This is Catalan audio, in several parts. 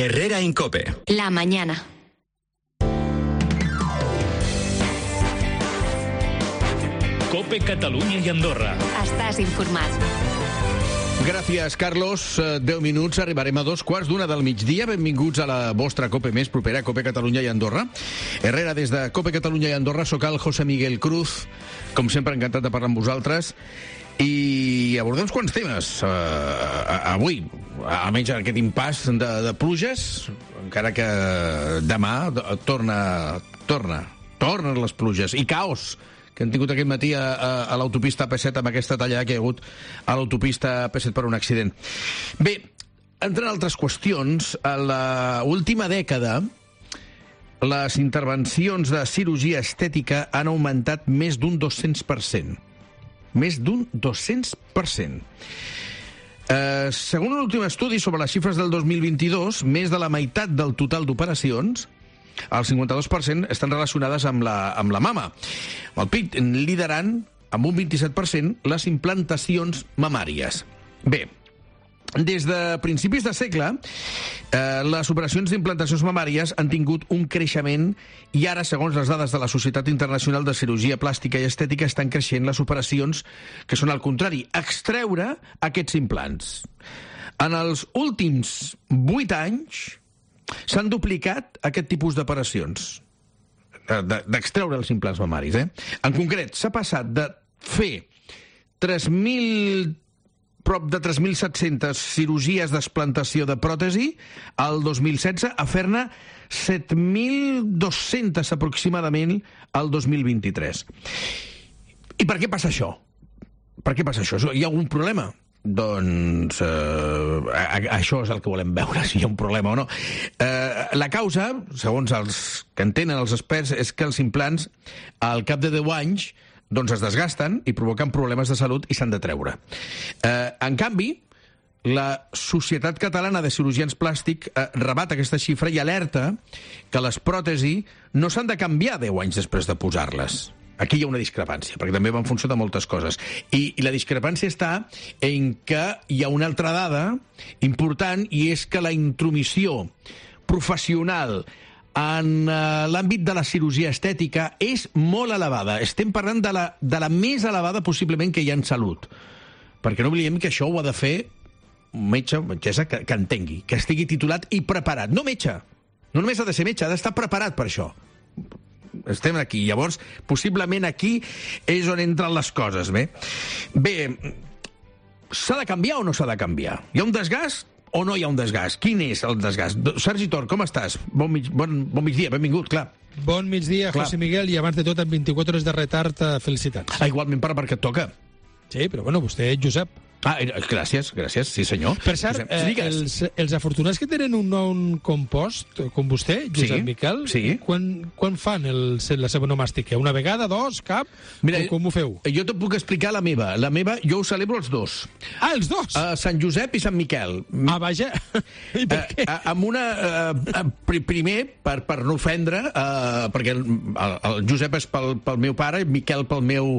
Herrera Incope. La mañana. Cope Catalunya i Andorra. Estàs informat. Gràcies, Carlos. 10 minuts, arribarem a 2:15 del migdia. Benvinguts a la vostra Cope més propera, Cope Catalunya i Andorra. Herrera, des de Cope Catalunya i Andorra, soc el José Miguel Cruz. Com sempre, encantat de parlar amb vosaltres. I abordem uns quants temes avui, almenys aquest impàs de pluges, encara que demà tornen les pluges i caos que han tingut aquest matí a l'autopista AP7 amb aquesta tallada que hi ha hagut a l'autopista AP7 per un accident. Bé, entre altres qüestions, a l'última dècada les intervencions de cirurgia estètica han augmentat més d'un 200%. Més d'un 200%. Segons un últim estudi sobre les xifres del 2022, més de la meitat del total d'operacions, el 52%, estan relacionades amb la mama. El pit liderant, amb un 27%, les implantacions mamàries. Bé, des de principis de segle, les operacions d'implantacions mamàries han tingut un creixement i ara, segons les dades de la Societat Internacional de Cirurgia Plàstica i Estètica, estan creixent les operacions que són al contrari, extreure aquests implants. En els últims 8 anys s'han duplicat aquest tipus d'operacions, d'extreure els implants mamaris. En concret, s'ha passat de fer prop de 3.700 cirurgies d'explantació de pròtesi al 2016 a fer-ne 7.200 aproximadament al 2023. I per què passa això? Per què passa això? Hi ha algun problema? Doncs això és el que volem veure, si hi ha un problema o no. La causa, segons els que entenen els experts, és que els implants al cap de 10 anys doncs es desgasten i provoquen problemes de salut i s'han de treure. En canvi, la Societat Catalana de Cirurgians Plàstics rebat aquesta xifra i alerta que les pròtesis no s'han de canviar 10 anys després de posar-les. Aquí hi ha una discrepància, perquè també va en funció de moltes coses. I la discrepància està en que hi ha una altra dada important, i és que la intromissió professional en l'àmbit de la cirurgia estètica és molt elevada. Estem parlant de la més elevada possiblement que hi ha en salut. Perquè no oblidem que això ho ha de fer un metge o metgessa que entengui, que estigui titulat i preparat. No metge, no només ha de ser metge, ha d'estar preparat per això. Estem aquí. Llavors, possiblement aquí és on entren les coses. Bé, s'ha de canviar o no s'ha de canviar? Hi ha un desgast o no hi ha un desgast? Quin és el desgast? Sergi Tor, com estàs? Bon migdia, benvingut, clar. Bon migdia, José Miguel, i abans de tot, amb 24 hores de retard, felicitats. Igualment perquè et toca. Sí, però bueno, vostè, Josep. Gràcies, sí senyor. Per cert, els afortunats que tenen un nou compost, com vostè, Josep Miquel, quan fan la seva onomàstica? Una vegada, dos, cap? Mira, com ho feu? Jo te puc explicar la meva. La meva, jo ho celebro els dos. Els dos? Sant Josep i Sant Miquel. Vaja. I per què? Primer, per no ofendre, perquè el Josep és pel meu pare, i Miquel pel meu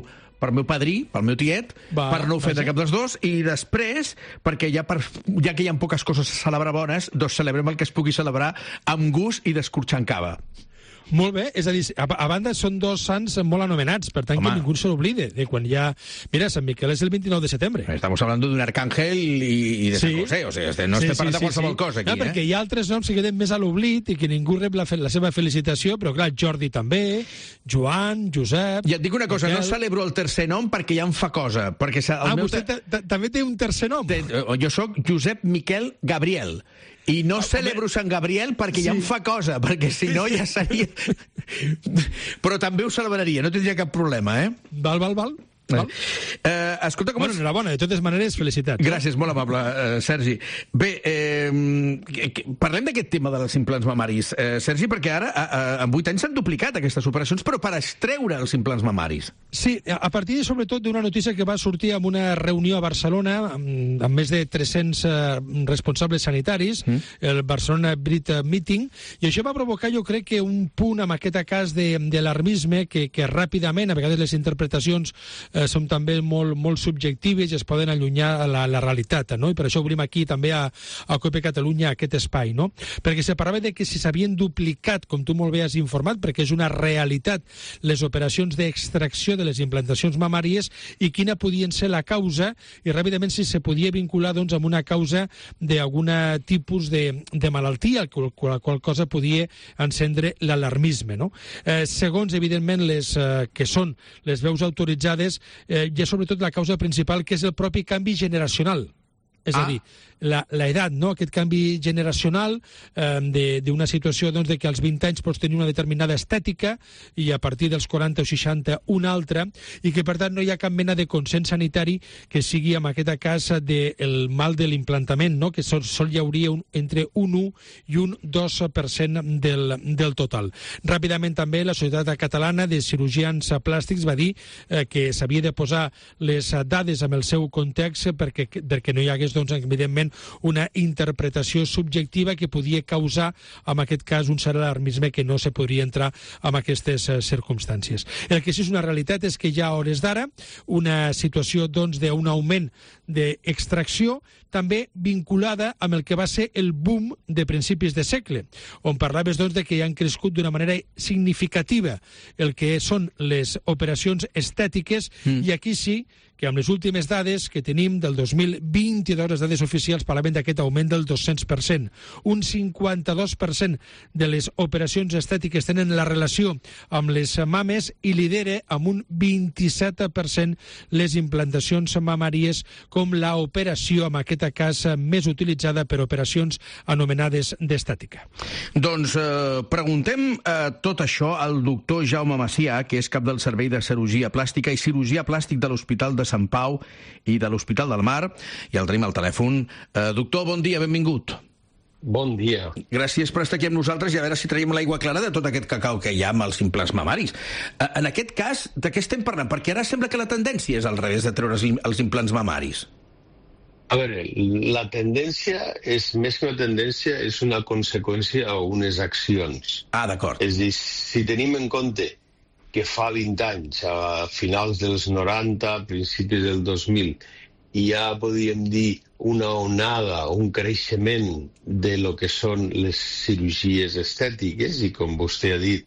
padrí, pel meu tiet, per no ofendre cap dels dos, i després, perquè ja que hi ha poques coses a celebrar bones, doncs celebrem el que es pugui celebrar amb gust i descorxant cava. Molt bé, és a dir, a banda són dos sants molt anomenats, per tant que ningú se l'oblide de quan hi ha... Mira, Sant Miquel és el 29 de setembre. Estamos hablando d'un arcángel i de San José, o sigui, no estem parlant de qualsevol cosa aquí. Perquè hi ha altres noms que queden més a l'oblit i que ningú rep la seva felicitació, però clar, Jordi també, Joan, Josep... I et dic una cosa, no celebro el tercer nom perquè ja em fa cosa. Vostè també té un tercer nom? Jo sóc Josep Miquel Gabriel. I no celebro Sant Gabriel perquè ja em fa cosa, perquè si no ja seria... Però també ho celebraria, no tindria cap problema, Val. Escolta, com... Enhorabona, de totes maneres, felicitats. Gràcies, molt amable, Sergi. Bé, parlem d'aquest tema dels implants mamaris, Sergi, perquè ara, en 8 anys s'han duplicat aquestes operacions, però per extreure els implants mamaris. Sí, a partir, sobretot, d'una notícia que va sortir en una reunió a Barcelona amb més de 300 responsables sanitaris, el Barcelona Brit Meeting, i això va provocar, jo crec, que un punt amb aquest cas d'alarmisme que ràpidament, a vegades les interpretacions són també molt subjectives i es poden allunyar a la realitat, no? I per això obrim aquí també a COPE Catalunya aquest espai, no? Perquè se parlava de que si s'havien duplicat, com tu molt bé has informat, perquè és una realitat, les operacions d'extracció de les implantacions mamàries i quina podien ser la causa i ràpidament si se podia vincular doncs, amb una causa d'algun tipus de malaltia, la qual cosa podia encendre l'alarmisme, no? Segons, evidentment, les que són les veus autoritzades, hi ha sobretot la causa principal, que és el propi canvi generacional. És a dir, l'edat, no? Aquest canvi generacional d'una situació doncs, de que als 20 anys pots tenir una determinada estètica i a partir dels 40 o 60 una altra, i que per tant no hi ha cap mena de consens sanitari que sigui en aquest cas del mal de l'implantament, no? Que sol hi hauria entre un 1 i un 2% del total. Ràpidament també la Societat Catalana de Cirurgians Plàstics va dir que s'havia de posar les dades en el seu context perquè no hi hagués, doncs, evidentment, una interpretació subjectiva que podia causar, en aquest cas, un cert alarmisme que no se podria entrar en aquestes circumstàncies. El que sí és una realitat és que hi ha, a hores d'ara, una situació doncs, d'un augment d'extracció també vinculada amb el que va ser el boom de principis de segle, on parlaves doncs, de que han crescut d'una manera significativa el que són les operacions estètiques, i aquí sí que amb les últimes dades que tenim del 2022, les dades oficials parlaven d'aquest augment del 200%. Un 52% de les operacions estètiques tenen la relació amb les mames i lidera amb un 27% les implantacions mamàries com l'operació, en aquest cas, més utilitzada per operacions anomenades d'estètica. Doncs preguntem tot això al doctor Jaume Macià, que és cap del Servei de Cirurgia Plàstica i Cirurgia Plàstic de l'Hospital de Sant Pau i de l'Hospital del Mar, i el tenim al telèfon. Doctor, bon dia, benvingut. Bon dia. Gràcies per estar aquí amb nosaltres i a veure si traiem l'aigua clara de tot aquest cacau que hi ha amb els implants mamaris. En aquest cas, de què estem parlant? Perquè ara sembla que la tendència és al revés de treure els implants mamaris. A veure, la tendència és, més que una tendència, és una conseqüència o unes accions. Ah, d'acord. És a dir, si tenim en compte que fa 20 anys, a finals dels 90, principis del 2000, ja podríem dir una onada, un creixement de lo que són les cirurgies estètiques, i com vostè ha dit,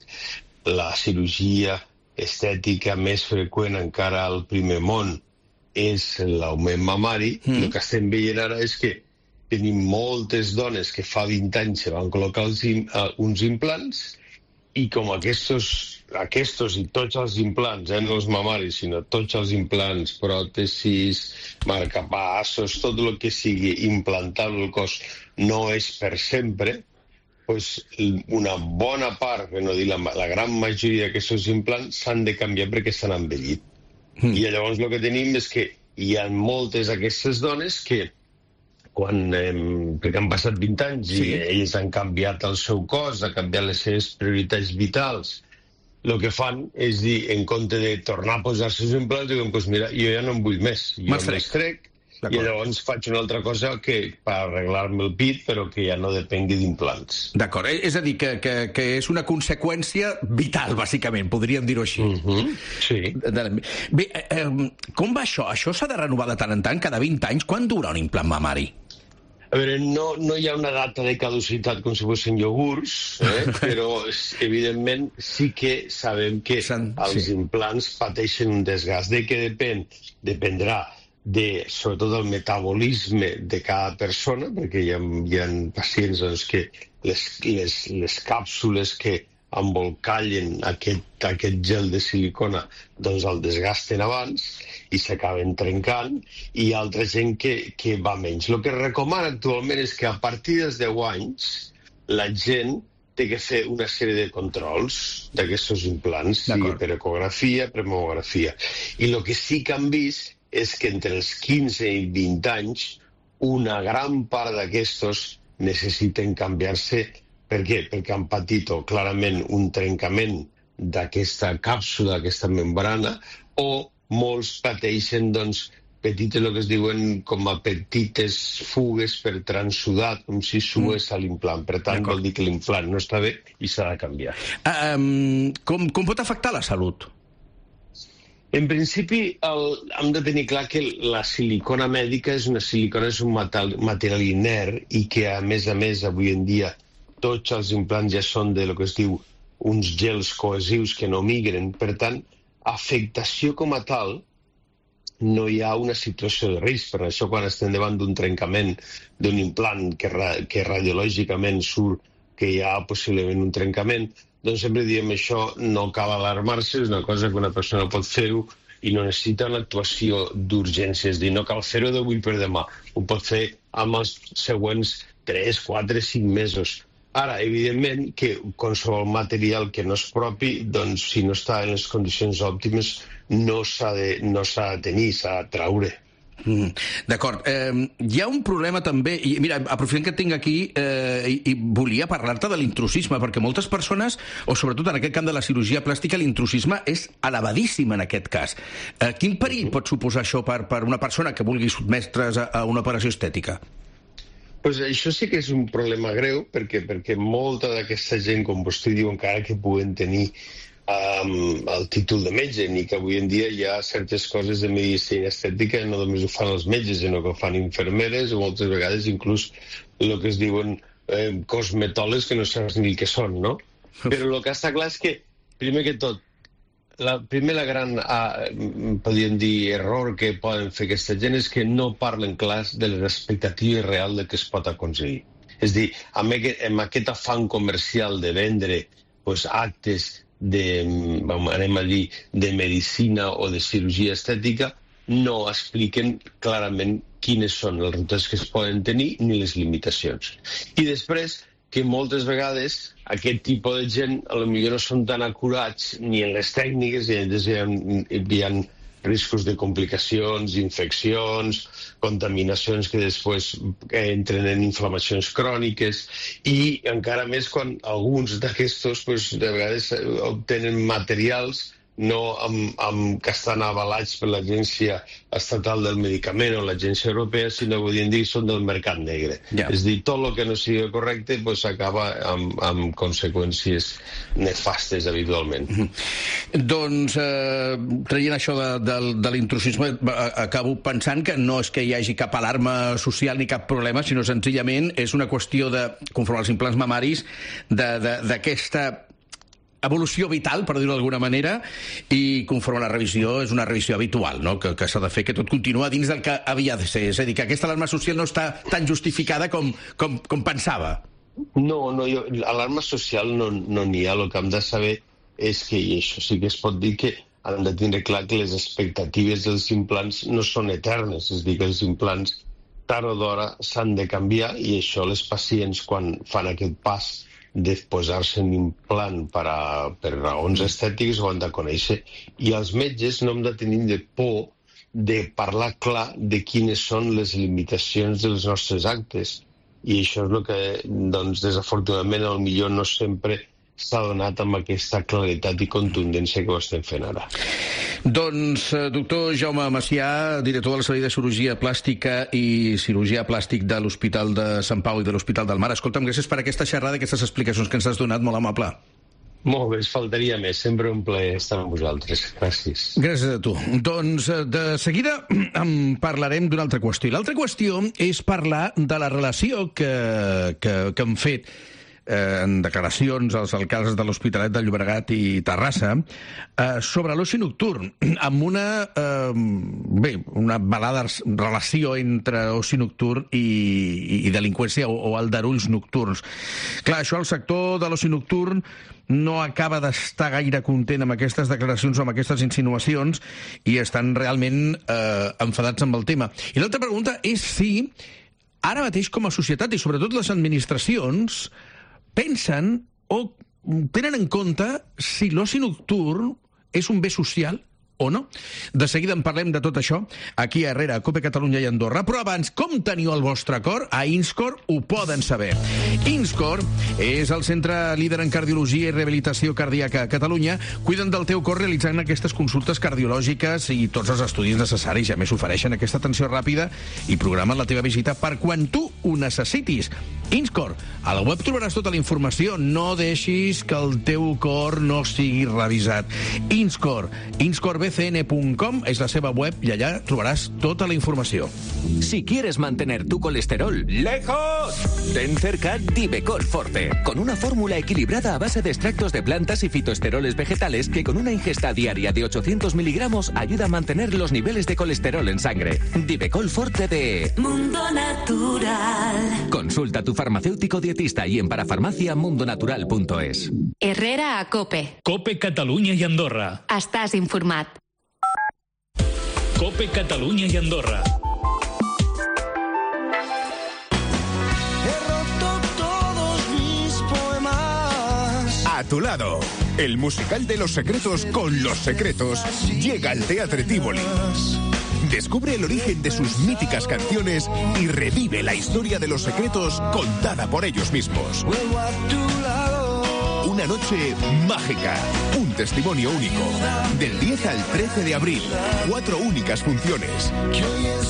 la cirurgia estètica més freqüent encara al primer món és l'augment mamari. El que estem veient ara és que tenim moltes dones que fa 20 anys se van col·locar uns implants, i com aquests i tots els implants, no els mamaris, sinó tots els implants, pròtesis, marcapassos, tot el que sigui implantable al cos no és per sempre, doncs una bona part, per no dir la gran majoria d'aquests implants s'han de canviar perquè s'han envellit. I llavors el que tenim és que hi ha moltes d'aquestes dones que perquè han passat 20 anys i ells han canviat el seu cos, han canviat les seves prioritats vitals, el que fan és dir, en compte de tornar a posar-se els implants, diuen, doncs mira, jo ja no en vull més, jo m'estrec, i llavors faig una altra cosa que per arreglar-me el pit, però que ja no depengui d'implants. D'acord, és a dir, que és una conseqüència vital, bàsicament, podríem dir-ho així. Sí. Bé, com va això? Això s'ha de renovar de tant en tant, cada 20 anys? Quan dura un implant mamari? A veure, no hi ha una data de caducitat com si fossin iogurts, però evidentment sí que sabem que els implants pateixen un desgast. De què dependrà sobretot del metabolisme de cada persona, perquè hi ha pacients doncs, que les càpsules que embolcallen aquest gel de silicona doncs el desgasten abans i s'acaben trencant, i hi ha altra gent que va menys. El que es recomana actualment és que a partir dels 10 anys la gent té que fer una sèrie de controls d'aquests implants, sigui per ecografia, per mamografia. I el que sí que han vist és que entre els 15 i 20 anys una gran part d'aquestos necessiten canviar-se. Per què? Perquè han patit clarament un trencament d'aquesta càpsula, d'aquesta membrana, o molts pateixen petites, el que es diuen com a petites fugues per transsudat, com si sués a l'implant. Per tant, vol dir que l'implant no està bé i s'ha de canviar. Com pot afectar la salut? En principi, hem de tenir clar que la silicona mèdica és un material inert i que, a més, avui en dia, tots els implants ja són de lo que es diu uns gels cohesius que no migren. Per tant, afectació com a tal, no hi ha una situació de risc. Per això, quan estem davant d'un trencament d'un implant que radiològicament surt que hi ha possiblement un trencament, doncs sempre diem això no cal alarmar-se, és una cosa que una persona pot fer-ho i no necessita una actuació d'urgència, és a dir, no cal fer-ho d'avui per demà, ho pot fer amb els següents 3, 4, 5 mesos. Ara, evidentment, que qualsevol material que no és propi, doncs, si no està en les condicions òptimes, no s'ha de tenir, s'ha de traure. D'acord. Hi ha un problema també, i mira, aprofitant que et tinc aquí, i volia parlar-te de l'intrusisme, perquè moltes persones, o sobretot en aquest camp de la cirurgia plàstica, l'intrusisme és elevadíssim en aquest cas. Quin perill pot suposar això per una persona que vulgui sotmetre's a una operació estètica? Pues això sí que és un problema greu, perquè molta d'aquesta gent, com vostè diu, encara que puguen tenir el títol de metge, ni que avui en dia hi ha certes coses de medicina estètica no només ho fan els metges, sinó que ho fan infermeres o moltes vegades inclús el que es diuen cosmetòlegs que no saps ni el que són, no? Però el que està clar és que, primer que tot, la gran, podríem dir, error que poden fer aquesta gent és que no parlen clars de les expectatives reals de què es pot aconseguir. És a dir, amb aquest afany comercial de vendre actes de medicina o de cirurgia estètica, no expliquen clarament quines són els resultats que es poden tenir ni les limitacions. I després, que moltes vegades aquest tipus de gent potser no són tan acurats ni en les tècniques, hi ha riscos de complicacions, infeccions, contaminacions que després entren en inflamacions cròniques i encara més quan alguns d'aquestos de vegades obtenen materials no que estan avalats per l'Agència Estatal del Medicament o l'Agència Europea, sinó que avui són del mercat negre. Yeah. És a dir, tot el que no sigui correcte acaba amb conseqüències nefastes habitualment. Doncs, traient això de l'intrusisme, acabo pensant que no és que hi hagi cap alarma social ni cap problema, sinó senzillament és una qüestió de, conforme als implants mamaris, d'aquesta evolució vital, per dir-ho d'alguna manera, i conforme a la revisió, és una revisió habitual, no? Que s'ha de fer, que tot continua dins del que havia de ser. És a dir, que aquesta alarma social no està tan justificada com pensava. No, alarma social no n'hi ha. El que hem de saber és que, i això sí que es pot dir, que hem de tenir clar que les expectatives dels implants no són eternes. És a dir, que els implants tard o d'hora s'han de canviar i això les pacients, quan fan aquest pas de posar-se un implant per raons estètiques, ho han de conèixer. I els metges no hem de tenir por de parlar clar de quines són les limitacions dels nostres actes. I això és el que, desafortunadament, potser no sempre s'ha donat amb aquesta claretat i contundència que ho estem fent ara. Doncs, doctor Jaume Macià, director del Servei de Cirurgia Plàstica i Cirurgia Plàstic de l'Hospital de Sant Pau i de l'Hospital del Mar. Escolta'm, gràcies per aquesta xerrada i aquestes explicacions que ens has donat, molt amable. Molt bé, faltaria més. Sempre un plaer estar amb vosaltres. Gràcies. Gràcies a tu. Doncs, de seguida en parlarem d'una altra qüestió. L'altra qüestió és parlar de la relació que han fet en declaracions als alcaldes de l'Hospitalet de Llobregat i Terrassa sobre l'oci nocturn, amb una velada relació entre oci nocturn i delinqüència o aldarulls nocturns. Clar, això el sector de l'oci nocturn no acaba d'estar gaire content amb aquestes declaracions o amb aquestes insinuacions i estan realment enfadats amb el tema. I l'altra pregunta és si ara mateix com a societat i sobretot les administracions pensen o tenen en compte si l'oci nocturn és un bé social o no. De seguida en parlem de tot això aquí a Herrera, a Cope Catalunya i Andorra. Però abans, com teniu el vostre cor? A Inscor ho poden saber. Inscor és el centre líder en cardiologia i rehabilitació cardíaca a Catalunya. Cuiden del teu cor realitzant aquestes consultes cardiològiques i tots els estudis necessaris. A més, ofereixen aquesta atenció ràpida i programen la teva visita per quan tu ho necessitis. Inscor. A la web trobaràs tota la informació. No deixis que el teu cor no sigui revisat. Inscor. Inscor bcn.com és la seva web i allà trobaràs tota la informació. Si quieres mantener tu colesterol lejos, ten cerca Divecol Forte, con una fórmula equilibrada a base de extractos de plantas y fitoesteroles vegetales que con una ingesta diaria de 800 miligramos ayuda a mantener los niveles de colesterol en sangre. Divecol Forte de Mundo Natural. Consulta a tu farmacéutico dietista y en parafarmaciamundonatural.es. Herrera a Cope. Cope Catalunya i Andorra. Estàs informat. Cope Catalunya i Andorra. A tu lado, el musical de Los Secretos con Los Secretos llega al Teatre Tívoli. Descubre el origen de sus míticas canciones y revive la historia de Los Secretos contada por ellos mismos. Una noche mágica, un testimonio único. Del 10 al 13 de abril, 4 únicas funciones.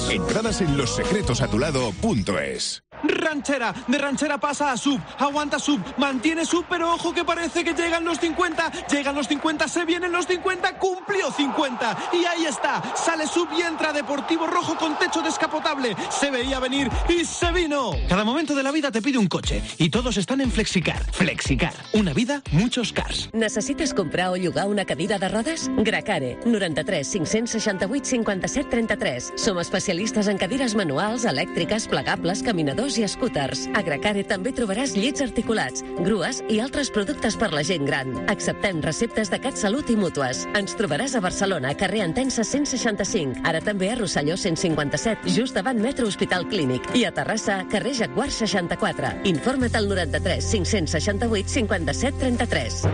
Entradas en lossecretosatulado.es. Ranchera, de ranchera pasa a sub, aguanta sub, mantiene sub, pero ojo que parece que llegan los 50, se vienen los 50, cumplió 50, y ahí está, sale sub y entra Deportivo Rojo con techo descapotable, se veía venir y se vino. Cada momento de la vida te pide un coche, y todos están en Flexicar. Flexicar, una vida, muchos cars. Necessites comprar o llogar una cadira de rodes? Gracare, 93 568 57 33. Som especialistes en cadires manuals, elèctriques, plegables, caminadors i scooters. A Gracare també trobaràs llits articulats, grues i altres productes per la gent gran. Acceptem receptes de CatSalut i mútues. Ens trobaràs a Barcelona, carrer Entença 165, ara també a Rosselló 157, just davant Metro Hospital Clínic, i a Terrassa, carrer Jaguar 64. Informa't al 93 568 57 33.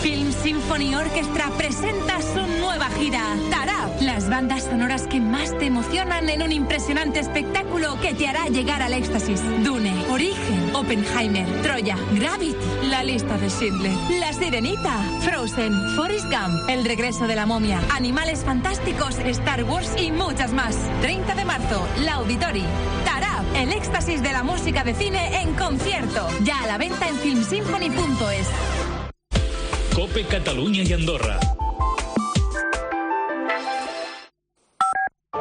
Film Symphony Orchestra presenta su nueva gira, Tarab. Las bandas sonoras que más te emocionan en un impresionante espectáculo que te hará llegar al éxtasis. Dune, Origen, Oppenheimer, Troya, Gravity, La lista de Schindler, La Sirenita, Frozen, Forrest Gump, El regreso de la momia, Animales fantásticos, Star Wars y muchas más. 30 de marzo, La Auditori. Tarab, el éxtasis de la música de cine en concierto. Ya a la venta en filmsymphony.es. Cope Catalunya i Andorra.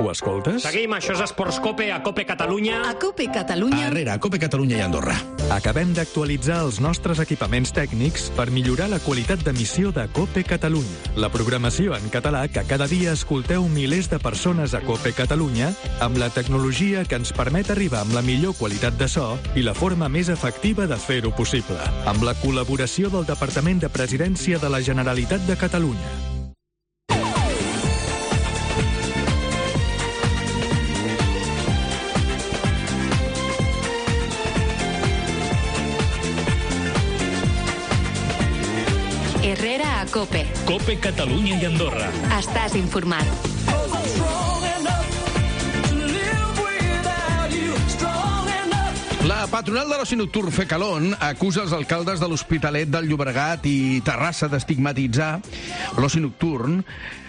Ho escoltes? Seguim, això és Esports Cope, a Cope Catalunya. A Cope Catalunya. Herrera, a Cope Catalunya i Andorra. Acabem d'actualitzar els nostres equipaments tècnics per millorar la qualitat d'emissió de Cope Catalunya. La programació en català que cada dia escolteu milers de persones a Cope Catalunya amb la tecnologia que ens permet arribar amb la millor qualitat de so i la forma més efectiva de fer-ho possible. Amb la col·laboració del Departament de Presidència de la Generalitat de Catalunya. Herrera a Cope. Cope Catalunya i Andorra. Estàs informat. La patronal de l'oci nocturn Fecalón acusa els alcaldes de l'Hospitalet del Llobregat i Terrassa d'estigmatitzar l'oci nocturn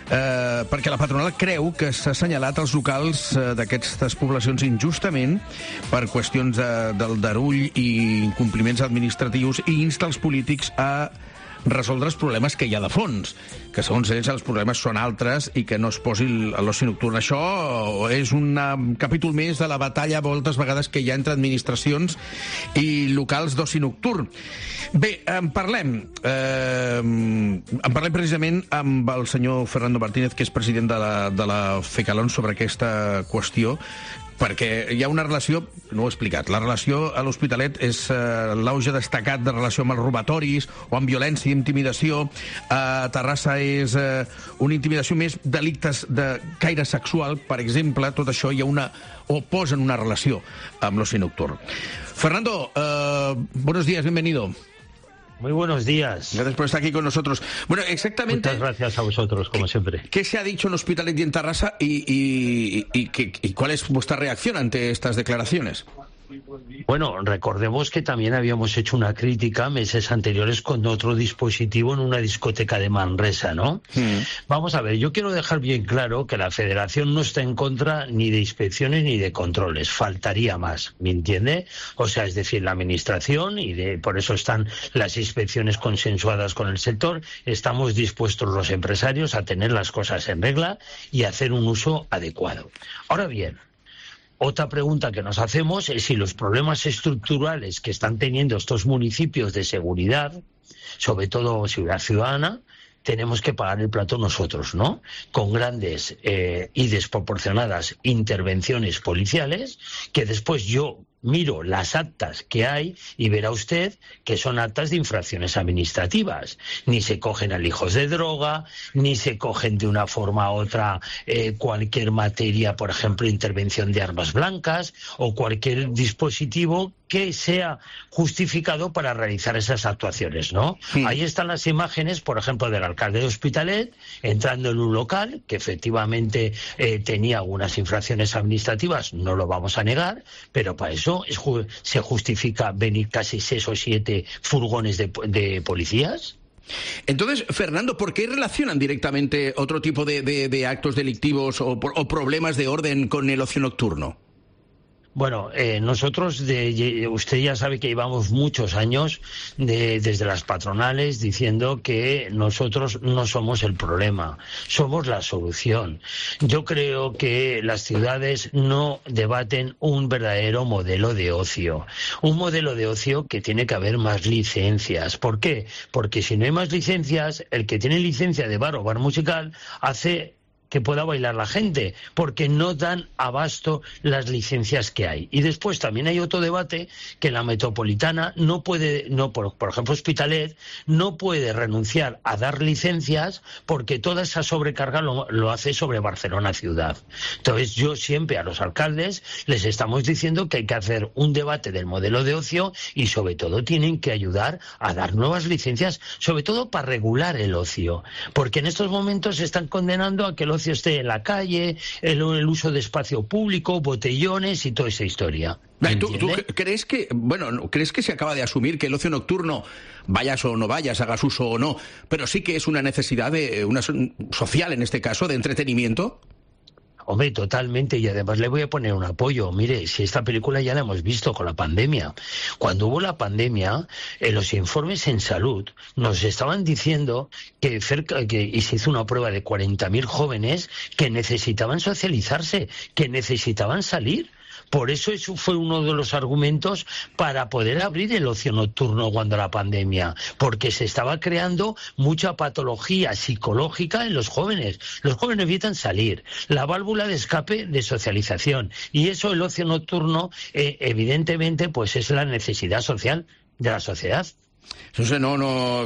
perquè la patronal creu que s'ha assenyalat els locals d'aquestes poblacions injustament per qüestions del darull i incompliments administratius i insta els polítics a resoldre els problemes que hi ha de fons, que segons ells els problemes són altres i que no es posi l'oci nocturn. Això és un capítol més de la batalla moltes vegades que hi ha entre administracions i locals d'oci nocturn. Bé, en parlem precisament amb el senyor Fernando Martínez, que és president de la Fecalón, sobre aquesta qüestió, perquè hi ha una relació, no ho he explicat, la relació a l'Hospitalet és l'auge destacat de relació amb els robatoris o amb violència i intimidació. A Terrassa és una intimidació més delictes de caire sexual, per exemple. Tot això hi ha o posen una relació amb l'oci nocturn. Fernando, buenos días, bienvenido. Muy buenos días. Gracias por estar aquí con nosotros. Bueno, exactamente... Muchas gracias a vosotros, como siempre. ¿Qué se ha dicho en Hospitalet y en Terrassa y cuál es vuestra reacción ante estas declaraciones? Bueno, recordemos que también habíamos hecho una crítica meses anteriores con otro dispositivo en una discoteca de Manresa, ¿no? Vamos a ver, yo quiero dejar bien claro que la Federación no está en contra ni de inspecciones ni de controles, faltaría más, ¿me entiende? O sea, es decir, la Administración, por eso están las inspecciones consensuadas con el sector, estamos dispuestos los empresarios a tener las cosas en regla y a hacer un uso adecuado. Ahora bien, otra pregunta que nos hacemos es si los problemas estructurales que están teniendo estos municipios de seguridad, sobre todo seguridad ciudadana, tenemos que pagar el plato nosotros, ¿no? Con grandes y desproporcionadas intervenciones policiales, que después yo miro las actas que hay y verá usted que son actas de infracciones administrativas. Ni se cogen alijos de droga, ni se cogen de una forma u otra cualquier materia, por ejemplo, intervención de armas blancas o cualquier dispositivo que sea justificado para realizar esas actuaciones, ¿no? Ahí están las imágenes, por ejemplo, del alcalde de Hospitalet entrando en un local que efectivamente tenía algunas infracciones administrativas, no lo vamos a negar, pero para eso se justifica venir casi 6 o 7 furgones de policías. Entonces, Fernando, ¿por qué relacionan directamente otro tipo de actos delictivos o problemas de orden con el ocio nocturno? Bueno, nosotros, usted ya sabe que llevamos muchos años desde las patronales diciendo que nosotros no somos el problema, somos la solución. Yo creo que las ciudades no debaten un verdadero modelo de ocio. Un modelo de ocio que tiene que haber más licencias. ¿Por qué? Porque si no hay más licencias, el que tiene licencia de bar o bar musical hace que pueda bailar la gente, porque no dan abasto las licencias que hay. Y después también hay otro debate que la metropolitana por ejemplo Hospitalet, no puede renunciar a dar licencias porque toda esa sobrecarga lo hace sobre Barcelona ciudad. Entonces yo siempre a los alcaldes les estamos diciendo que hay que hacer un debate del modelo de ocio y sobre todo tienen que ayudar a dar nuevas licencias, sobre todo para regular el ocio, porque en estos momentos se están condenando a que el ocio esté en la calle, el uso de espacio público, botellones y toda esa historia. ¿Tú crees que se acaba de asumir que el ocio nocturno, vayas o no vayas, hagas uso o no, pero sí que es una necesidad social en este caso, de entretenimiento? Hombre, totalmente, y además le voy a poner un apoyo. Mire, si esta película ya la hemos visto con la pandemia. Cuando hubo la pandemia, en los informes en salud nos estaban diciendo y se hizo una prueba de 40.000 jóvenes que necesitaban socializarse, que necesitaban salir. Por eso fue uno de los argumentos para poder abrir el ocio nocturno cuando la pandemia, porque se estaba creando mucha patología psicológica en los jóvenes. Los jóvenes evitan salir, la válvula de escape de socialización, y eso el ocio nocturno evidentemente pues es la necesidad social de la sociedad. Entonces,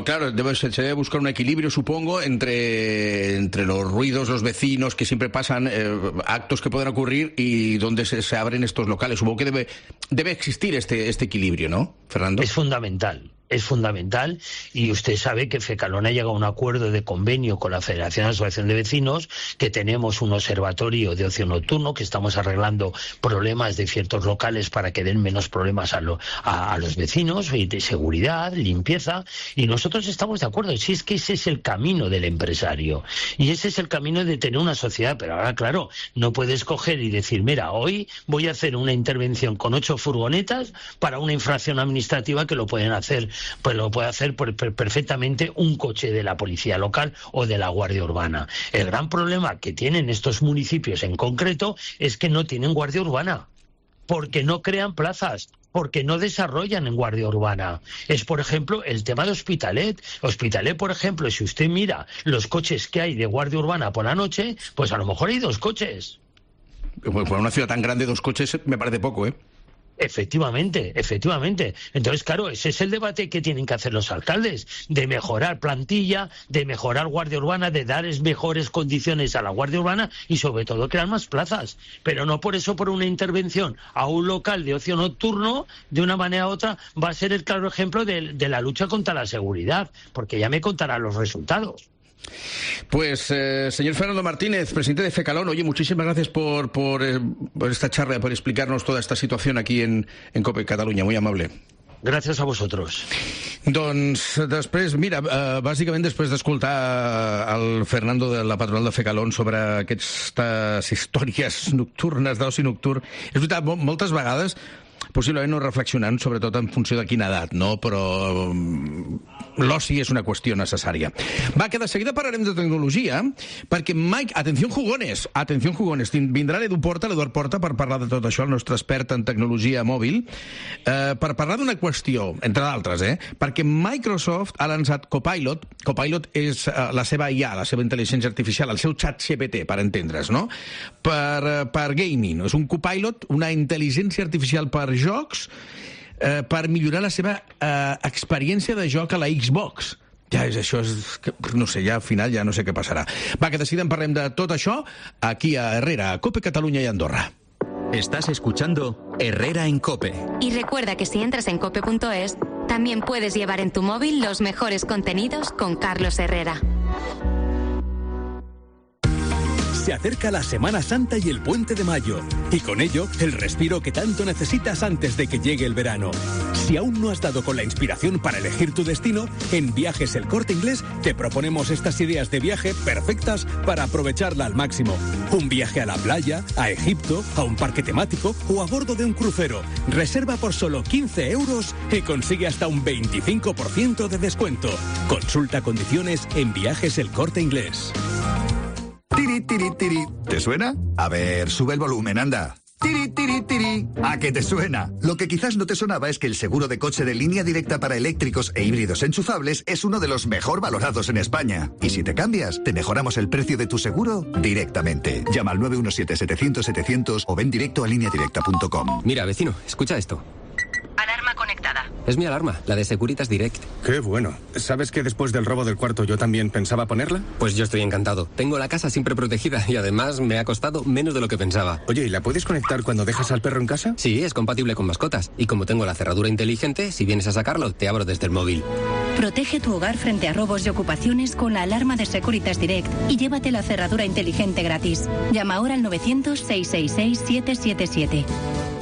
claro, se debe buscar un equilibrio, supongo, entre los ruidos, los vecinos, que siempre pasan, actos que pueden ocurrir y donde se abren estos locales. Supongo que debe existir este equilibrio, ¿no, Fernando? Es fundamental. Es fundamental, y usted sabe que Fecalona ha llegado a un acuerdo de convenio con la Federación de Asociación de Vecinos, que tenemos un observatorio de ocio nocturno, que estamos arreglando problemas de ciertos locales para que den menos problemas a los vecinos, y de seguridad, limpieza, y nosotros estamos de acuerdo. Si es que ese es el camino del empresario, y ese es el camino de tener una sociedad, pero ahora, claro, no puedes coger y decir, mira, hoy voy a hacer una intervención con 8 furgonetas para una infracción administrativa que lo pueden hacer. Pues lo puede hacer perfectamente un coche de la policía local o de la Guardia Urbana. El gran problema que tienen estos municipios en concreto es que no tienen Guardia Urbana, porque no crean plazas, porque no desarrollan en Guardia Urbana. Es, por ejemplo, el tema de Hospitalet. Hospitalet, por ejemplo, si usted mira los coches que hay de Guardia Urbana por la noche, pues a lo mejor hay 2 coches. Pues para una ciudad tan grande, 2 coches me parece poco, ¿eh? Efectivamente. Entonces, claro, ese es el debate que tienen que hacer los alcaldes, de mejorar plantilla, de mejorar Guardia Urbana, de dar mejores condiciones a la Guardia Urbana y sobre todo crear más plazas. Pero no por eso, por una intervención a un local de ocio nocturno, de una manera u otra, va a ser el claro ejemplo de la lucha contra la seguridad, porque ya me contarán los resultados. Pues, señor Fernando Martínez, presidente de FECALON, oye, muchísimas gracias por esta charla, por explicarnos toda esta situación aquí en COPE Catalunya, muy amable. Gràcies a vosotros. Doncs després, mira, bàsicament després d'escoltar el Fernando de la patronal de FECALON sobre aquestes històries nocturnes d'oci nocturn, és veritat, moltes vegades possiblement no reflexionant sobretot en funció de quina edat, no? Però l'oci és una qüestió necessària. Va, que de seguida parlarem de tecnologia, perquè Mike, atenció jugones, vindrà l'Eduard Porta per parlar de tot això, el nostre expert en tecnologia mòbil, per parlar d'una qüestió, entre d'altres, perquè Microsoft ha lançat Copilot és la seva IA, la seva intel·ligència artificial, el seu xat GPT, per entendre's, no? Per gaming, és un Copilot, una intel·ligència artificial per jocs, per millorar la seva experiència de joc a la Xbox. Ja és això, no sé, ja al final ja no sé què passarà. Va, que decidem parlem de tot això aquí a Herrera, a COPE Catalunya i Andorra. Estás escuchando Herrera en COPE. Y recuerda que si entras en cope.es, también puedes llevar en tu móvil los mejores contenidos con Carlos Herrera. Se acerca la Semana Santa y el Puente de Mayo, y con ello el respiro que tanto necesitas antes de que llegue el verano. Si aún no has dado con la inspiración para elegir tu destino, en Viajes El Corte Inglés te proponemos estas ideas de viaje perfectas para aprovecharla al máximo. Un viaje a la playa, a Egipto, a un parque temático o a bordo de un crucero. Reserva por solo 15 euros y consigue hasta un 25% de descuento. Consulta condiciones en Viajes El Corte Inglés. Tiri, tiri, tiri. ¿Te suena? A ver, sube el volumen, anda. Tiri, tiri, tiri. ¿A qué te suena? Lo que quizás no te sonaba es que el seguro de coche de Línea Directa para eléctricos e híbridos enchufables es uno de los mejor valorados en España. Y si te cambias, te mejoramos el precio de tu seguro directamente. Llama al 917-700-700 o ven directo a lineadirecta.com. Mira, vecino, escucha esto. Alarma conectada. Es mi alarma, la de Securitas Direct. Qué bueno. ¿Sabes que después del robo del cuarto yo también pensaba ponerla? Pues yo estoy encantado. Tengo la casa siempre protegida y además me ha costado menos de lo que pensaba. Oye, ¿y la puedes conectar cuando dejas al perro en casa? Sí, es compatible con mascotas. Y como tengo la cerradura inteligente, si vienes a sacarlo, te abro desde el móvil. Protege tu hogar frente a robos y ocupaciones con la alarma de Securitas Direct y llévate la cerradura inteligente gratis. Llama ahora al 900-666-777.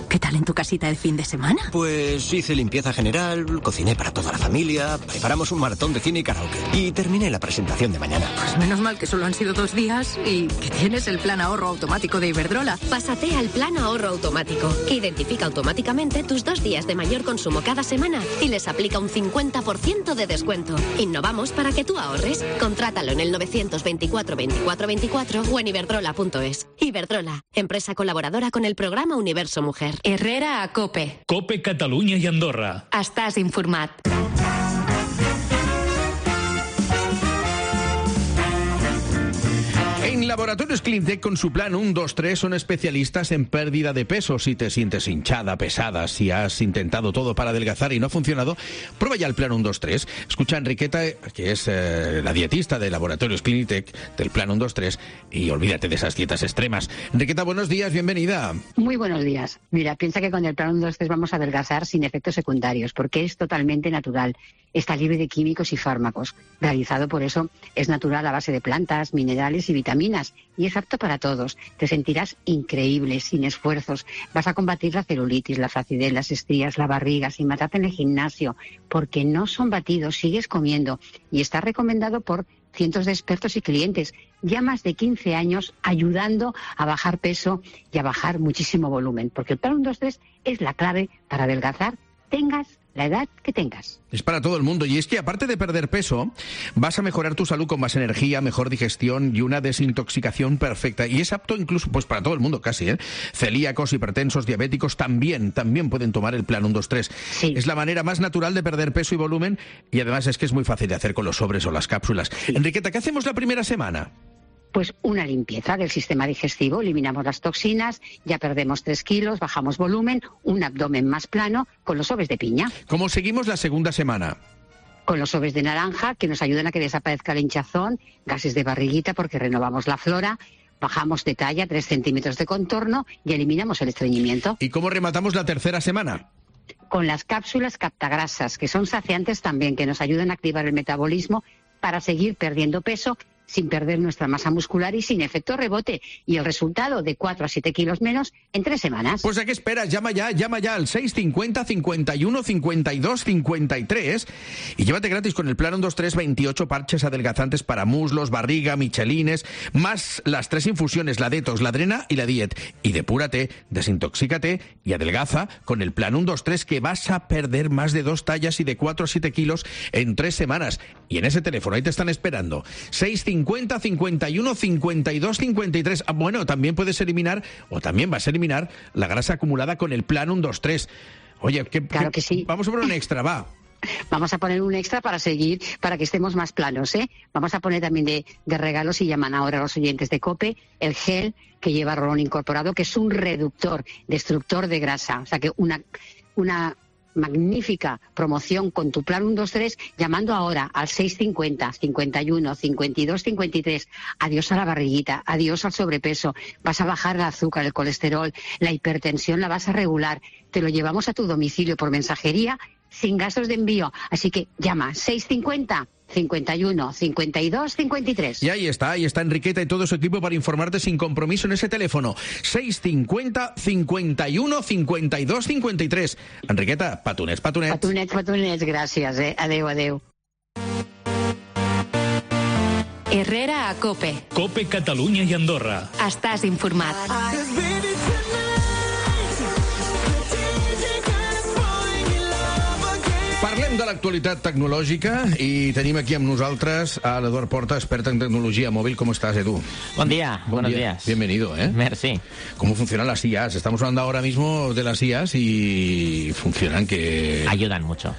¿Qué tal en tu casita el fin de semana? Pues hice limpieza general, cociné para toda la familia, preparamos un maratón de cine y karaoke y terminé la presentación de mañana. Pues menos mal que solo han sido 2 días y que tienes el plan ahorro automático de Iberdrola. Pásate al plan ahorro automático, que identifica automáticamente tus 2 días de mayor consumo cada semana y les aplica un 50% de descuento. Innovamos para que tú ahorres. Contrátalo en el 924 24 24 o en iberdrola.es. Iberdrola, empresa colaboradora con el programa Universo Mujer. Herrera a COPE. COPE Catalunya i Andorra. Estàs informat. En Laboratorios Cleantech, con su plan 1, 2, 3, son especialistas en pérdida de peso. Si te sientes hinchada, pesada, si has intentado todo para adelgazar y no ha funcionado, prueba ya el plan 1, 2, 3. Escucha a Enriqueta, que es la dietista de Laboratorios Cleantech, del plan 1, 2, 3, y olvídate de esas dietas extremas. Enriqueta, buenos días, bienvenida. Muy buenos días. Mira, piensa que con el plan 1, 2, 3 vamos a adelgazar sin efectos secundarios, porque es totalmente natural. Está libre de químicos y fármacos. Realizado, por eso, es natural a base de plantas, minerales y vitaminas. Y es apto para todos. Te sentirás increíble, sin esfuerzos. Vas a combatir la celulitis, la flacidez, las estrías, la barriga, sin matarte en el gimnasio, porque no son batidos, sigues comiendo. Y está recomendado por cientos de expertos y clientes. Ya más de 15 años ayudando a bajar peso y a bajar muchísimo volumen. Porque el plan 1, 2, 3 es la clave para adelgazar, tengas la edad que tengas. Es para todo el mundo, y es que aparte de perder peso, vas a mejorar tu salud con más energía, mejor digestión y una desintoxicación perfecta. Y es apto incluso pues para todo el mundo casi, ¿eh? Celíacos, hipertensos, diabéticos también pueden tomar el plan 1, 2, 3. Sí. Es la manera más natural de perder peso y volumen, y además es que es muy fácil de hacer con los sobres o las cápsulas. Sí. Enriqueta, ¿qué hacemos la primera semana? Pues una limpieza del sistema digestivo, eliminamos las toxinas, ya perdemos 3 kilos, bajamos volumen, un abdomen más plano con los sobres de piña. ¿Cómo seguimos la segunda semana? Con los sobres de naranja, que nos ayudan a que desaparezca el hinchazón, gases de barriguita porque renovamos la flora, bajamos de talla 3 centímetros de contorno y eliminamos el estreñimiento. ¿Y cómo rematamos la tercera semana? Con las cápsulas captagrasas, que son saciantes también, que nos ayudan a activar el metabolismo, para seguir perdiendo peso sin perder nuestra masa muscular y sin efecto rebote. Y el resultado de 4 a 7 kilos menos en 3 semanas. Pues ¿a qué esperas? Llama ya al 650 51 52 53 y llévate gratis con el plan 1, 2, 3, 28 parches adelgazantes para muslos, barriga, michelines, más las 3 infusiones, la detox, la drena y la diet. Y depúrate, desintoxícate y adelgaza con el plan 1, 2, 3, que vas a perder más de 2 tallas y de 4 a 7 kilos en 3 semanas. Y en ese teléfono, ahí te están esperando. 650 51 52 53. Bueno, también puedes eliminar, o también vas a eliminar, la grasa acumulada con el plan 1, 2, 3. Oye, claro que sí. Vamos a poner un extra, va. Vamos a poner un extra para que estemos más planos, ¿eh? Vamos a poner también de regalo, si llaman ahora los oyentes de COPE, el gel que lleva rolón incorporado, que es un reductor, destructor de grasa. O sea que una magnífica promoción con tu plan 1, 2, 3, llamando ahora al 650 51 52 53. Adiós a la barriguita, adiós al sobrepeso. Vas a bajar el azúcar, el colesterol, la hipertensión la vas a regular. Te lo llevamos a tu domicilio por mensajería sin gastos de envío. Así que llama 650 51 52 53. Y ahí está Enriqueta y todo su equipo para informarte sin compromiso en ese teléfono. 650 51 52 53. Enriqueta, patunets. Patunets, gràcies, Adeu. Herrera a COPE. COPE Catalunya i Andorra. Estàs informat. Parlem de l'actualitat tecnològica i tenim aquí amb nosaltres a l'Eduard Porta, experta en tecnología móvil. ¿Cómo estás, Edu? Buen día, buenos días. Bienvenido, ¿eh? Merci. ¿Cómo funcionan las IAs? Estamos hablando ahora mismo de las IAs y funcionan que... Ayudan mucho.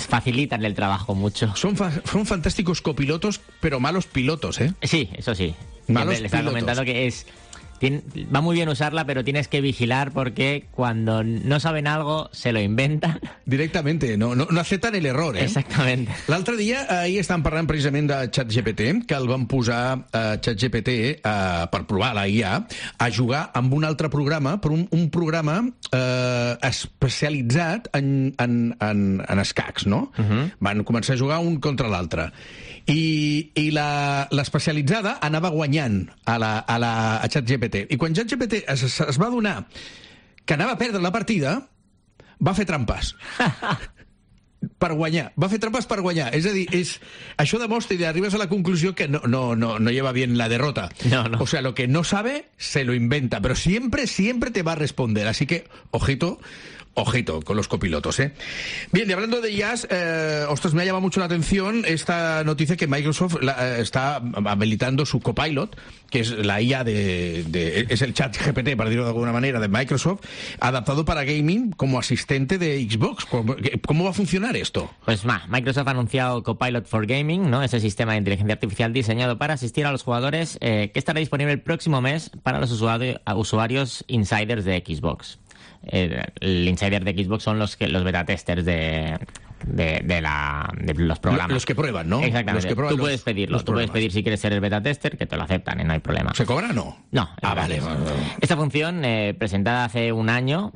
Facilitan el trabajo mucho. Son fantásticos copilotos, pero malos pilotos, ¿eh? Sí, eso sí. Malos pilotos. Le estaba comentando que va muy bien usarla, pero tienes que vigilar porque cuando no saben algo se lo inventan. Directamente, no acepten el error, eh? Exactament. L'altre dia, ahir estàvem parlant precisament de ChatGPT, que el van posar ChatGPT per provar la IA a jugar amb un altre programa, però un programa especialitzat en escacs, no? Van començar a jugar un contra l'altre. I l'especialitzada anava guanyant a ChatGPT. I quan ChatGPT es va adonar que anava a perdre la partida, va fer trampes. Per guanyar. Va fer trampes per guanyar. És a dir, això demostra i arribes a la conclusió que no lleva bien la derrota. No. O sea, lo que no sabe, se lo inventa. Pero siempre te va a responder. Así que, ojito con los copilotos, ¿eh? Bien, y hablando de IAs, ostras, me ha llamado mucho la atención esta noticia que Microsoft está habilitando su Copilot, que es la IA es el chat GPT, para decirlo de alguna manera, de Microsoft, adaptado para gaming como asistente de Xbox. ¿Cómo va a funcionar esto? Pues Microsoft ha anunciado Copilot for Gaming, ¿no? Ese sistema de inteligencia artificial diseñado para asistir a los jugadores, que estará disponible el próximo mes para los usuarios insiders de Xbox. El insider de Xbox son los beta testers de los programas. Los que prueban, ¿no? Exactamente. Tú puedes pedirlo. Tú puedes pedir si quieres ser el beta tester, que te lo aceptan, no hay problema. ¿Se cobra o no? No. Vale. Esta función, presentada hace un año,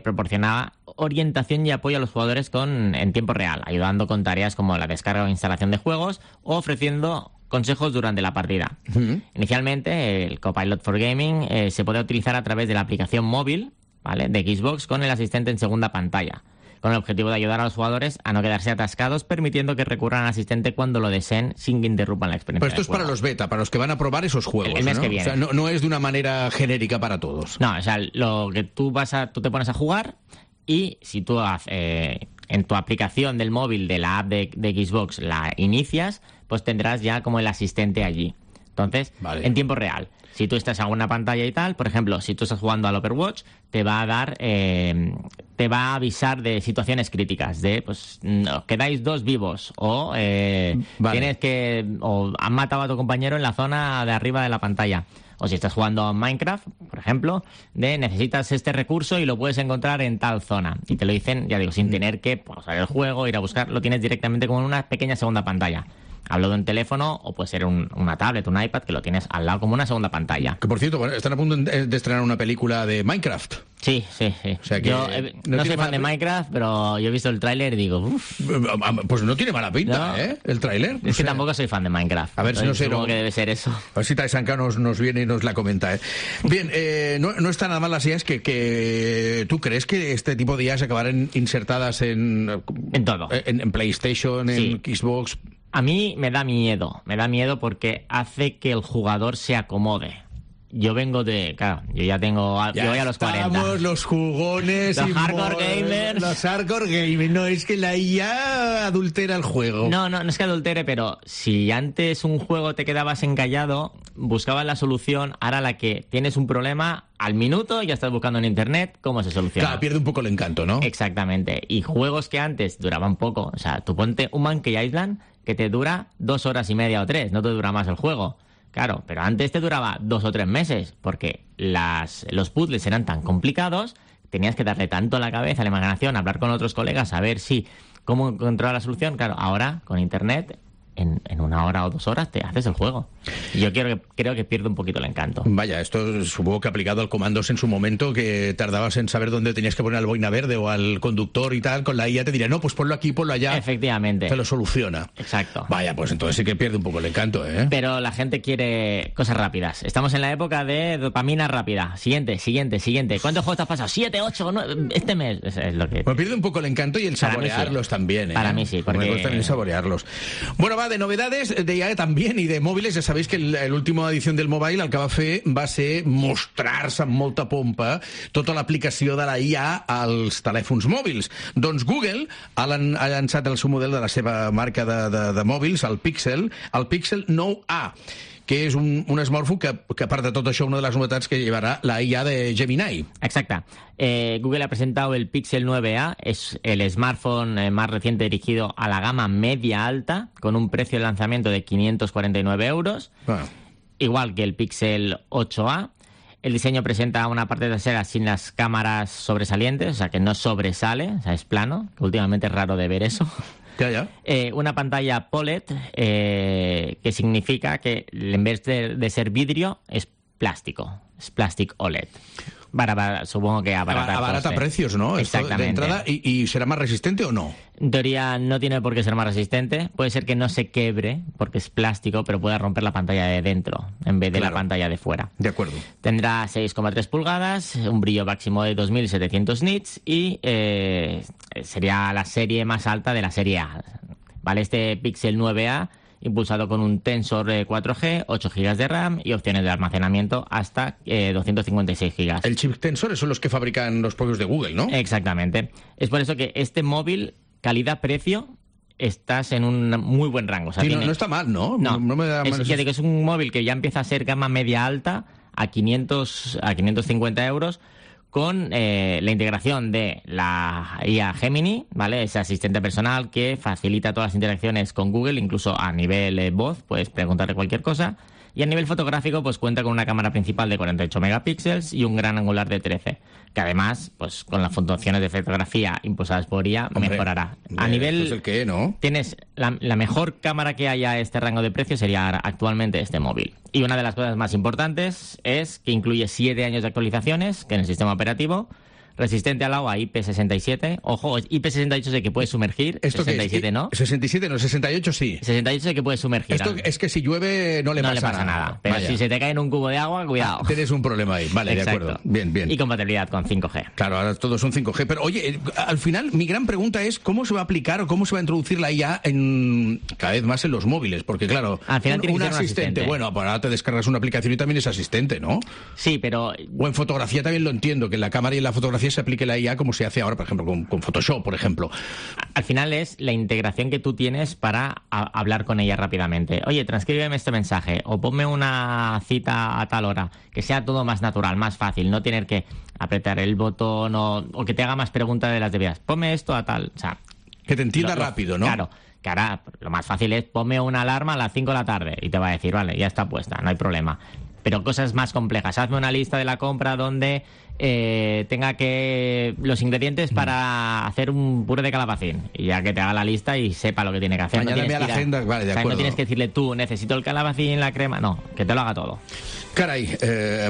proporcionaba orientación y apoyo a los jugadores en tiempo real, ayudando con tareas como la descarga o instalación de juegos o ofreciendo consejos durante la partida. Inicialmente, el Copilot for Gaming se podía utilizar a través de la aplicación móvil, ¿vale?, de Xbox, con el asistente en segunda pantalla, con el objetivo de ayudar a los jugadores a no quedarse atascados, permitiendo que recurran al asistente cuando lo deseen sin que interrumpan la experiencia. Pero esto es para los beta, para los que van a probar esos juegos. El mes que viene. O sea, no es de una manera genérica para todos. No, o sea, lo que tú te pones a jugar y si tú en tu aplicación del móvil de la app de Xbox la inicias, pues tendrás ya como el asistente allí. Entonces, en tiempo real. Si tú estás en una pantalla y tal, por ejemplo, si tú estás jugando al Overwatch, te va a avisar de situaciones críticas, de pues quedáis 2 vivos o o han matado a tu compañero en la zona de arriba de la pantalla. O si estás jugando a Minecraft, por ejemplo, necesitas este recurso y lo puedes encontrar en tal zona. Y te lo dicen, ya digo, sin tener que pausar el juego, ir a buscar, lo tienes directamente como en una pequeña segunda pantalla. Hablo de un teléfono o puede ser una tablet, un iPad, que lo tienes al lado como una segunda pantalla. Que por cierto, bueno, están a punto de estrenar una película de Minecraft. Sí. O sea que yo no soy fan de Minecraft, pero yo he visto el tráiler y digo, uff. Pues no tiene mala pinta, ¿no? El tráiler. Es que tampoco soy fan de Minecraft. A ver si no sé. Supongo que debe ser eso. A ver si Taisanka nos viene y nos la comenta, ¿eh? Bien, no está nada mal las IAs que tú crees que este tipo de IAs acabarán insertadas en todo. En PlayStation, en Xbox. A mí me da miedo porque hace que el jugador se acomode. Yo vengo de... Claro, yo ya tengo... yo voy a los 40. Estamos los jugones... Los hardcore gamers. Los hardcore gamers. No, es que la IA adultera el juego. No es que adultere, pero si antes un juego te quedabas encallado, buscabas la solución, ahora la que tienes un problema, al minuto ya estás buscando en internet cómo se soluciona. Claro, pierde un poco el encanto, ¿no? Exactamente. Y juegos que antes duraban poco. O sea, tú ponte un Monkey Island que te dura 2 horas y media o 3, no te dura más el juego. Claro, pero antes te duraba 2 o 3 meses, porque los puzzles eran tan complicados, tenías que darle tanto a la cabeza, a la imaginación, hablar con otros colegas, a ver cómo encontrar la solución. Claro, ahora, con internet, en 1 hora o 2 horas te haces el juego. Y yo creo que pierde un poquito el encanto. Vaya, esto supongo que aplicado al comandos en su momento, que tardabas en saber dónde tenías que poner al boina verde o al conductor y tal, con la IA te diría, no, pues ponlo aquí, ponlo allá. Efectivamente. Te lo soluciona. Exacto. Vaya, pues entonces sí que pierde un poco el encanto, ¿eh? Pero la gente quiere cosas rápidas. Estamos en la época de dopamina rápida. Siguiente. ¿Cuántos juegos te has pasado? 7, 8, 9, este mes. Es lo que... Pues pierde un poco el encanto y el saborearlos también, ¿eh? Para mí sí, porque... Me gusta también saborearlos. Bueno, de novedades de IA también i de mòbils. Ja sabéis que l'última edició del Mobile el que va fer va ser mostrar-se amb molta pompa tota l'aplicació de la IA als telèfons mòbils. Doncs Google ha llançat el seu model de la seva marca de mòbils, el Pixel 9a, que és un smartphone que, a part de tot això, una de les novetats que llevará la IA de Gemini. Exacta. Google ha presentado el Pixel 9a, es el smartphone más reciente dirigido a la gama media-alta, con un precio de lanzamiento de 549 euros, igual que el Pixel 8a. El diseño presenta una parte trasera sin las cámaras sobresalientes, o sea que no sobresale, o sea, es plano, que últimamente es raro de ver eso. Una pantalla OLED, que significa que en vez de ser vidrio es plástico, es plastic OLED. Supongo que abarata precios, ¿no? Exactamente. De entrada, ¿y será más resistente o no? En teoría no tiene por qué ser más resistente. Puede ser que no se quebre porque es plástico, pero pueda romper la pantalla de dentro en vez de la pantalla de fuera. De acuerdo. Tendrá 6,3 pulgadas, un brillo máximo de 2700 nits y sería la serie más alta de la serie A. ¿Vale? Este Pixel 9a, impulsado con un Tensor 4G, 8 GB de RAM y opciones de almacenamiento hasta 256 GB. El chip Tensor son los que fabrican los propios de Google, ¿no? Exactamente. Es por eso que este móvil, calidad-precio, estás en un muy buen rango. O sea, sí, no está mal, ¿no? No me da mal. Es un móvil que ya empieza a ser gama media-alta a 550 euros, con la integración de la IA Gemini, ¿vale? Ese asistente personal que facilita todas las interacciones con Google, incluso a nivel voz, puedes preguntarle cualquier cosa. Y a nivel fotográfico, pues cuenta con una cámara principal de 48 megapíxeles y un gran angular de 13, que además, pues con las funciones de fotografía impulsadas por IA, mejorará. A nivel... ¿Es el qué, no? Tienes la mejor cámara que haya a este rango de precio sería actualmente este móvil. Y una de las cosas más importantes es que incluye 7 años de actualizaciones que en el sistema operativo, resistente al agua IP67. Ojo, IP68 sé que puede sumergir, ¿Esto 67 es? no. 67 no, 68 sí. 68 sé que puede sumergir. Esto es que si llueve no le pasa nada. Pero vaya, si se te cae en un cubo de agua, cuidado. Tienes un problema ahí, vale, exacto. De acuerdo. Bien. Y compatibilidad con 5G. Claro, ahora todos son 5G. Pero oye, al final mi gran pregunta es cómo se va a aplicar o cómo se va a introducir la IA cada vez más en los móviles. Porque claro, al final tiene que ser un asistente. Bueno, ahora te descargas una aplicación y también es asistente, ¿no? Sí, pero... O en fotografía también lo entiendo, que en la cámara y en la fotografía se aplique la IA como se hace ahora, por ejemplo, con Photoshop, por ejemplo. Al final es la integración que tú tienes para hablar con ella rápidamente. Oye, transcríbeme este mensaje o ponme una cita a tal hora. Que sea todo más natural, más fácil. No tener que apretar el botón o que te haga más preguntas de las debidas. Ponme esto a tal... O sea, que te entienda rápido, ¿no? Claro. Que ahora lo más fácil es ponme una alarma a las 5 de la tarde y te va a decir, vale, ya está puesta, no hay problema. pero cosas más complejas. Hazme una lista de la compra donde tenga que los ingredientes para hacer un puré de calabacín, y ya que te haga la lista y sepa lo que tiene que hacer. Añádame a la agenda, vale, de acuerdo. No tienes que decirle tú, necesito el calabacín, la crema, no, que te lo haga todo. Carai,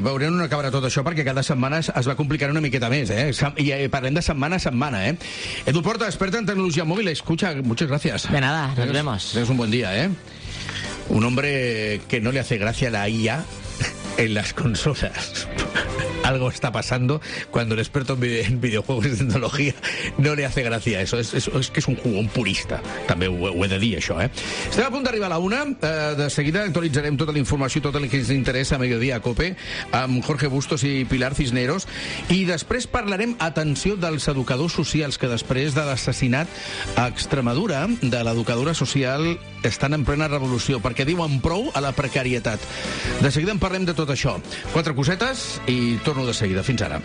veurem on acabarà tot això, perquè cada setmana es va complicant una miqueta més, I parlem de setmana a setmana, Edu Porta, experta en tecnología móvil, escucha, muchas gracias. De nada, nos vemos. Tengas un buen día, Un hombre que no le hace gracia la IA en las consolas. Algo está pasando cuando el experto en videojuegos y tecnología no le hace gracia eso. Es que és un jugón purista. També ho he de dir, això, Estem a punt d'arribar a la 1. De seguida actualitzarem tota la informació, tot el que ens interessa a Mediodía a COPE, amb Jorge Bustos i Pilar Cisneros. I després parlarem, atenció, dels educadors socials, que després de l'assassinat a Extremadura de l'educadora social estan en plena revolució, perquè diuen prou a la precarietat. De seguida en parlem de tot això. 4 cosetes i torno de seguida. Fins ara.